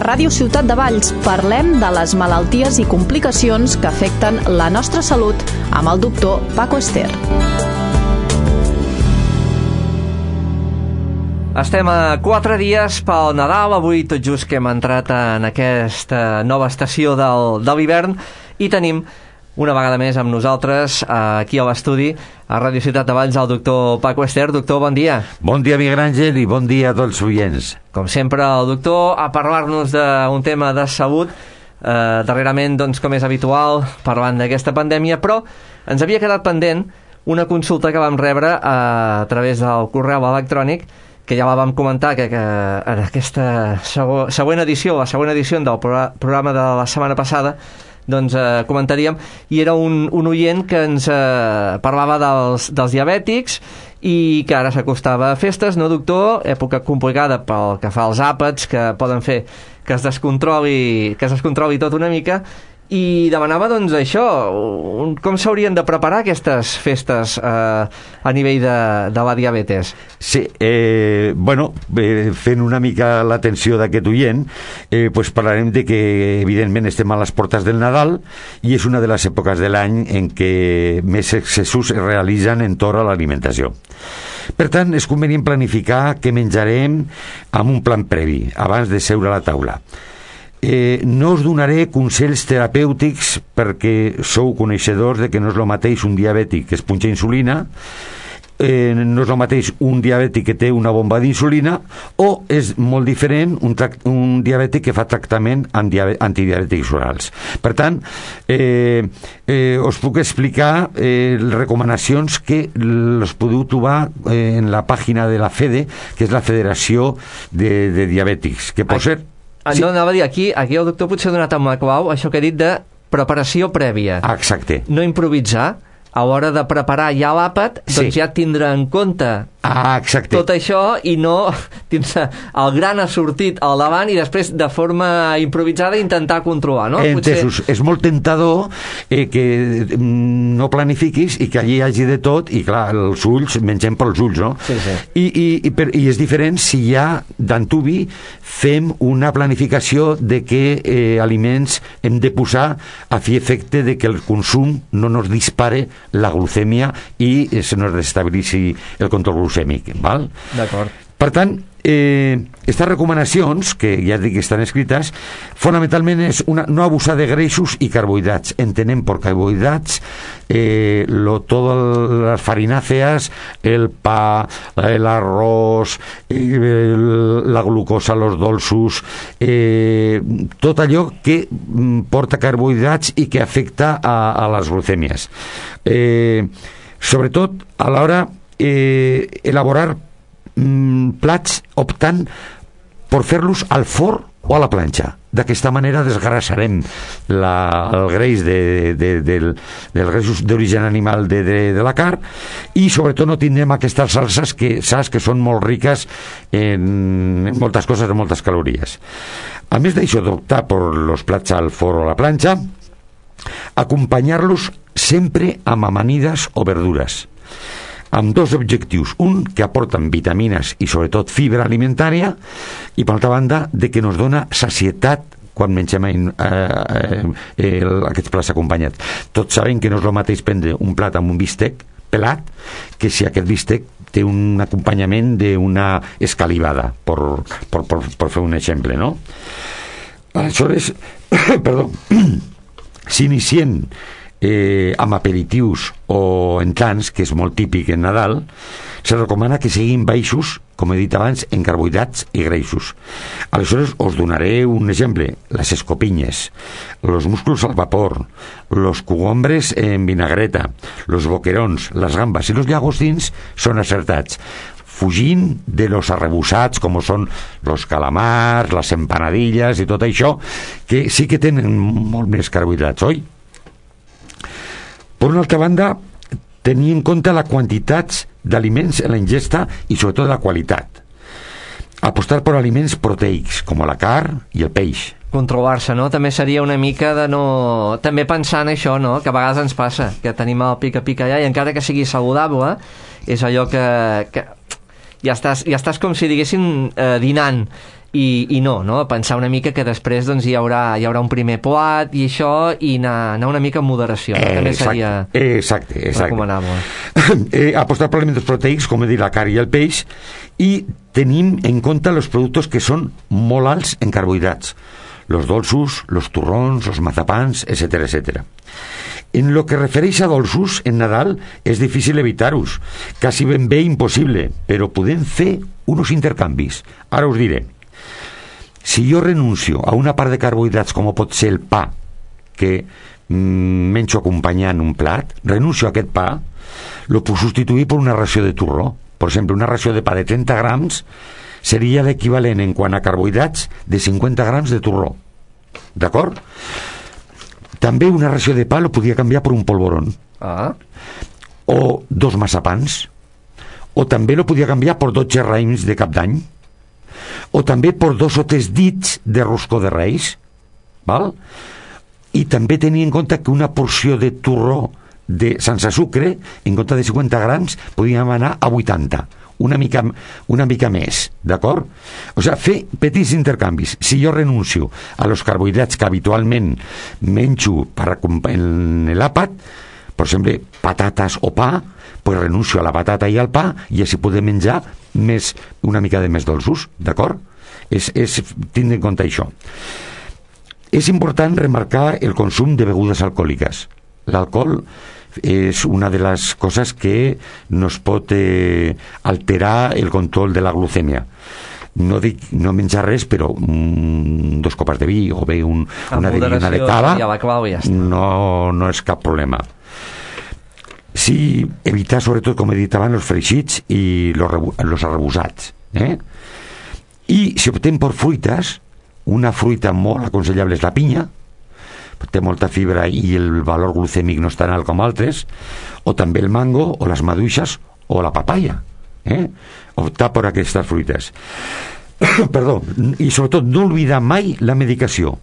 Ràdio Ciutat de Valls parlem de les malalties i complicacions que afecten la nostra salut amb el doctor Paco Ester. Estem a 4 dies pel Nadal, avui tot just que hem entrat en aquesta nova estació de l'hivern i tenim una vegada més amb nosaltres aquí a l'estudi a Ràdio Ciutat de Valls el doctor Paco Ester. Doctor, bon dia. Bon dia, Miguel Àngel, i bon dia a tots els oients. Com sempre, el doctor a parlar-nos d'un tema de salut, darrerament, doncs, com és habitual, parlant d'aquesta pandèmia, però ens havia quedat pendent una consulta que vam rebre a través del correu electrònic, que ja la vam comentar que en aquesta següent edició, la següent edició del programa de la setmana passada, doncs comentaríem, i era un oient que ens parlava dels diabètics i que ara s'acostava a festes, no, doctor? Època complicada pel que fa als àpats, que poden fer que es descontroli tot una mica, i demanava, doncs, això, com s'haurien de preparar aquestes festes a nivell de la diabetes? Sí, fent una mica l'atenció d'aquest oient, parlarem de que, evidentment, estem a les portes del Nadal i és una de les èpoques de l'any en què més excessos es realitzen entorn a l'alimentació. Per tant, és convenient planificar què menjarem amb un plan previ, abans de seure a la taula. No us donaré consells terapèutics perquè sou coneixedors de que no és el mateix un diabètic que es punxa insulina, no és el mateix un diabètic que té una bomba d'insulina, o és molt diferent un diabètic que fa tractament antidiabètics orals. Per tant, us puc explicar les recomanacions que les podeu trobar en la pàgina de la FEDE, que és la Federació de Diabètics, que pot ser... Sí. No, anava a dir, aquí el doctor potser ha donat amb la clau això que he dit de preparació prèvia. Exacte. No improvisar, a l'hora de preparar ja l'àpat, doncs ja tindrà en compte tot això i no tindre el gran assortit al davant i després de forma improvisada intentar controlar, no? Entesos, és molt tentador que no planifiquis i que allí hi hagi de tot i clar, els ulls, mengem pels ulls, no? Sí. I és diferent si ja d'antuvi fem una planificació de què aliments hem de posar a fi efecte de que el consum no nos dispare la glucèmia i se nos destabilitzi el control glucèmic, val? D'acord. Per tant, aquestes recomanacions, que ja dic que estan escrites, fonamentalment és no abusar de greixos i carbohidrats. Entenem per carbohidrats todas las farináceas, el pa, el arroz, la glucosa, los dolços, tot allò que porta carbohidrats i que afecta a les glucèmies. Sobretot a l'hora elaborar plats optant per fer-los al forn o a la planxa. D'aquesta manera desgrassarem el greix dels greixos d'origen animal de la carn i sobretot no tindrem aquestes salses que saps que són molt riques en moltes coses, en moltes calories. A més d'això d'optar per els plats al forn o a la planxa, acompanyar-los sempre amb amanides o verdures, amb dos objectius: un, que aporten vitamines i sobretot fibra alimentària, i per altra banda de que nos dona sacietat quan mengem aquests plats acompanyats. Tots sabem que no és el mateix prendre un plat amb un bistec pelat que si aquest bistec té un acompanyament d'una escalivada, per fer un exemple, no? Aleshores, s'inicien amb aperitius o entrants, que és molt típic en Nadal, se recomana que siguin baixos, com he dit abans, en carbohidrats i greixos. Aleshores us donaré un exemple: les escopinyes, los musclos al vapor, los cogombres en vinagreta, los boquerons, les gambes i los llagostins són acertats, fugint de los arrebossats com són los calamars, les empanadilles i tot això, que sí que tenen molt més carbohidrats, oi? Per una altra banda, tenir en compte la quantitat d'aliments en la ingesta i sobretot la qualitat. Apostar per aliments proteics, com la carn i el peix. Controlar-se, no? També seria una mica de no... També pensar en això, no? Que a vegades ens passa, que tenim el pica-pica allà i encara que sigui saludable, és allò que ja estàs com si diguéssim dinant i no, pensar una mica que després doncs, hi haurà un primer plat i això, i anar una mica en moderació, també seria recomanable. Apostar per aliments proteics, com he dit, la carn i el peix, i tenim en compte els productes que són molt alts en carbohidrats, los dolços, los turrons, los mazapans, etcètera, etcètera. En lo que refereix a dolços, en Nadal és difícil evitar-los, quasi ben bé impossible, però podem fer uns intercanvis. Ara us diré. Si jo renuncio a una part de carbohidrats, com pot ser el pa, que menjo acompanyant un plat, renuncio a aquest pa, lo puc substituir per una ració de turró. Per exemple, una ració de pa de 30 grams seria l'equivalent en quant a carbohidrats de 50 grams de turró. D'acord? També una ració de pa lo podia canviar per un polvorón. O 2 massapans. O també lo podia canviar per 12 raïms de cap d'any. O també per 2 o 3 dits de roscó de reis. Val? I també tenir en compte que una porció de turró sense sucre, en compte de 50 grams, podíem anar a 80. Una mica més, d'acord? O sigui, fer petits intercanvis. Si jo renuncio a los carbohidrats que habitualment menjo en l'àpat, per exemple, patates o pa, pues renuncio a la patata i al pa, i així podem menjar una mica de més dolços, d'acord? Tindre en compte això. És important remarcar el consum de begudes alcohòliques. L'alcohol és una de les coses que nos pot alterar el control de la glucèmia. No dic no menjar res, però 2 copes de vi o bé una de cava no és cap problema. Sí, evitar sobretot, com he dit abans, els freixits i els arrebossats. I si optem per fruites, una fruita molt aconsellable és la pinya, té molta fibra i el valor glucèmic no és tan alt com altres, o també el mango o les maduixes o la papaya. Optar per aquestes fruites. Perdó. I sobretot no oblidar mai la medicació,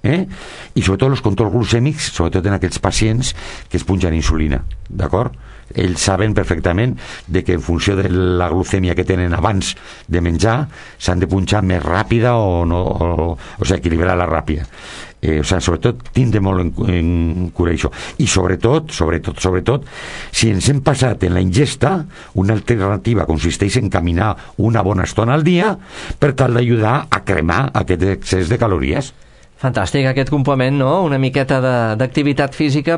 i sobretot els controls glucèmics, sobretot en aquests pacients que es punxen insulina, d'acord? Ells saben perfectament de que en funció de la glucèmia que tenen abans de menjar s'han de punxar més ràpida o sigui, equilibrar-la ràpida. Sobretot tindre molt en cura això. I sobretot, si ens hem passat en la ingesta, una alternativa consisteix en caminar una bona estona al dia per tal d'ajudar a cremar aquest excés de calories. Fantàstic, aquest complement, no? Una miqueta d'activitat física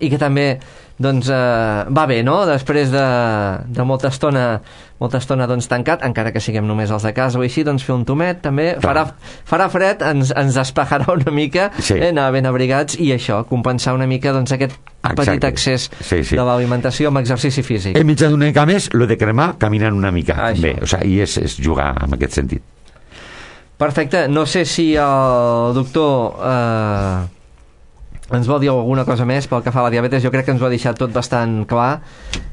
i que també doncs, va bé, no? Després de molta estona doncs, tancat, encara que siguem només els de casa o així, doncs fer un tomet també, farà fred, ens despejarà una mica, anar ben abrigats i això, compensar una mica doncs, aquest petit excés de l'alimentació amb exercici físic. Hem mitjançat una mica més, lo de cremar caminant una mica bé, i és jugar en aquest sentit. Perfecte, no sé si el doctor ens vol dir alguna cosa més pel que fa a la diabetes. Jo crec que ens ho ha deixat tot bastant clar.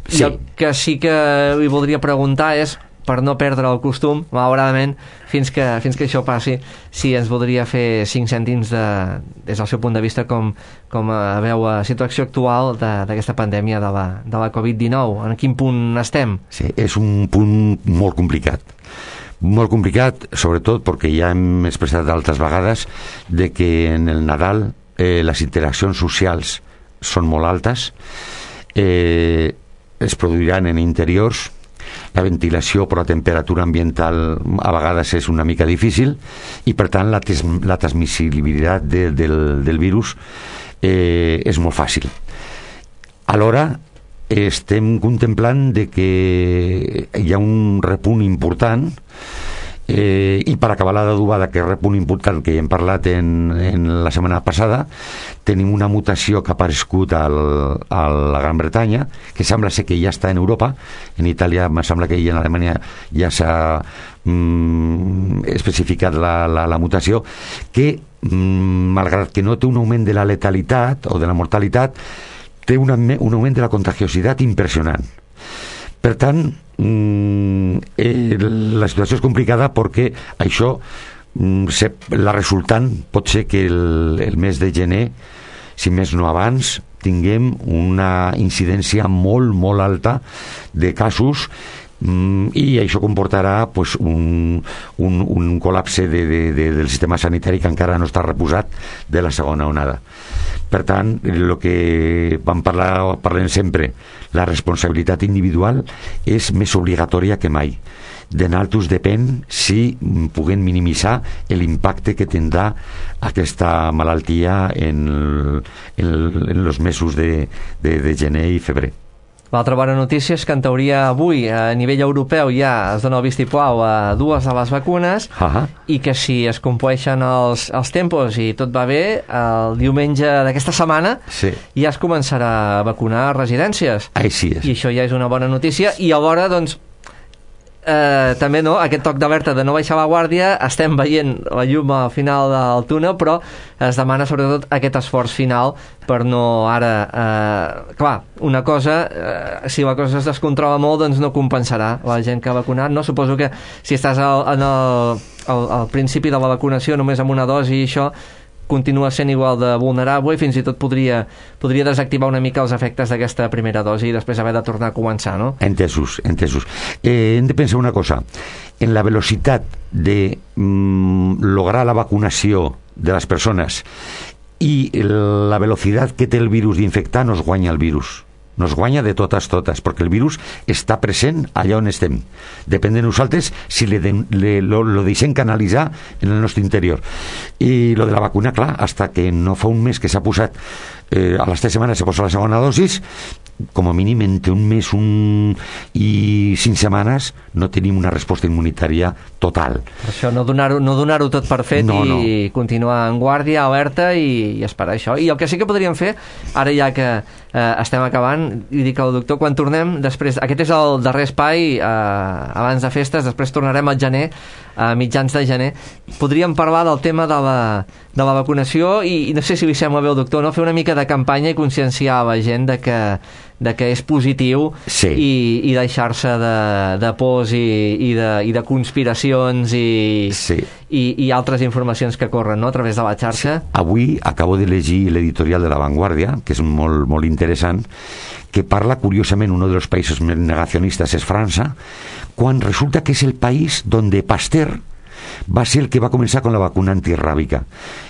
Sí. El que sí que li voldria preguntar és, per no perdre el costum, malauradament, fins que això passi, si ens voldria fer 5 cèntims des del seu punt de vista com veu la situació actual d'aquesta pandèmia de la Covid-19. En quin punt estem? Sí, és un punt molt complicat, sobretot perquè ja hem expressat d'altres vegades de que en el Nadal les interaccions socials són molt altes, es produiran en interiors, la ventilació per la temperatura ambiental a vegades és una mica difícil i per tant la transmissibilitat del virus és molt fàcil. Alhora estem contemplant de que hi ha un repunt important i per acabar la d'adobada que repunt important que ja hem parlat en la setmana passada, tenim una mutació que ha aparegut a la Gran Bretanya, que sembla ser que ja està en Europa. En Itàlia em sembla que en Alemanya ja s'ha especificat la mutació, que malgrat que no té un augment de la letalitat o de la mortalitat, té un augment de la contagiositat impressionant. Per tant, la situació és complicada perquè això, la resultant pot ser que el mes de gener, si més no abans, tinguem una incidència molt, molt alta de casos I això comportarà pues, un col·lapse del sistema sanitari que encara no està reposat de la segona onada. Per tant, el que parlem sempre, la responsabilitat individual és més obligatòria que mai. De naltros depèn si puguem minimitzar l'impacte que tindrà aquesta malaltia en els mesos de gener i febrer. L'altra bona notícia és que en teoria avui a nivell europeu ja es dona el vistiplau a 2 de les vacunes i que si es compleixen els tempos i tot va bé, el diumenge d'aquesta setmana ja es començarà a vacunar a residències. Així és. I això ja és una bona notícia i alhora doncs també no, aquest toc d'alerta de no baixar la guàrdia, estem veient la llum al final del túnel, però es demana sobretot aquest esforç final per no ara clar, una cosa si la cosa es descontrola molt doncs no compensarà la gent que ha vacunat, no? Suposo que si estàs al principi de la vacunació només amb una dosi i això continua sent igual de vulnerable i fins i tot podria desactivar una mica els efectes d'aquesta primera dosi i després haver de tornar a començar, no? Entesos. Hem de pensar una cosa. En la velocitat de lograr la vacunació de les persones i la velocitat que té el virus d'infectar nos guanya el virus. Nos guanya de totes, perquè el virus està present allà on estem. Depèn de nosaltres si lo deixem canalitzar en el nostre interior. I lo de la vacuna, clar, hasta que no fa un mes que s'ha posat, a les 3 setmanes se posa la segona dosis, com a mínim entre un mes i 5 setmanes no tenim una resposta immunitària total. Per això no donar-ho tot per fet i continuar en guàrdia, alerta i esperar això. I el que sí que podríem fer, ara ja que estem acabant, i dic al doctor, quan tornem després, aquest és el darrer espai abans de festes, després tornarem al gener, a mitjans de gener, podríem parlar del tema de la vacunació i no sé si li sembla bé al doctor, no? Fer una mica de campanya i conscienciar a la gent de que és positiu i deixar-se de pors i de conspiracions i altres informacions que corren, no?, a través de la xarxa. Avui acabo de llegir l'editorial de La Vanguardia, que és molt, molt interessant, que parla, curiosament, un dels països més negacionistes és França, quan resulta que és el país donde Pasteur va ser el que va començar amb la vacuna antirràbica.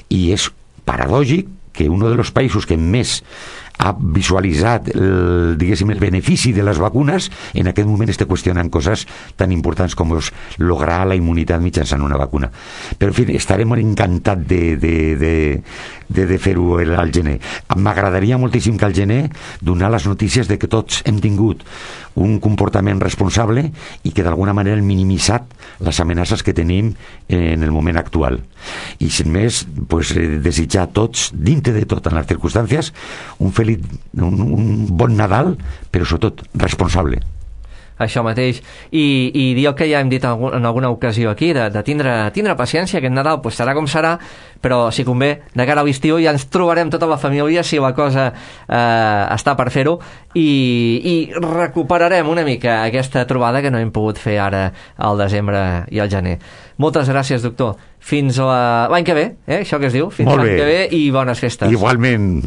I és paradògic que un dels països que més ha visualitzat el benefici de les vacunes en aquest moment està qüestionant coses tan importants com lograr la immunitat mitjançant una vacuna. Però en fi, estarem encantats de fer-ho al gener. M'agradaria moltíssim que al gener donar les notícies de que tots hem tingut un comportament responsable i que d'alguna manera hem minimitzat les amenaces que tenim en el moment actual. I sin més, desitjar a tots, dintre de tot, en les circumstàncies, un bon Nadal, però sobretot responsable. Això mateix, i dir el que ja hem dit en alguna ocasió aquí, de tindre paciència, aquest Nadal serà com serà, però si convé, de cara a l'estiu ja ens trobarem tota la família si la cosa està per fer-ho i recuperarem una mica aquesta trobada que no hem pogut fer ara al desembre i al gener. Moltes gràcies, doctor. Fins l'any que ve, això que es diu, fins l'any que ve i bones festes. Igualment.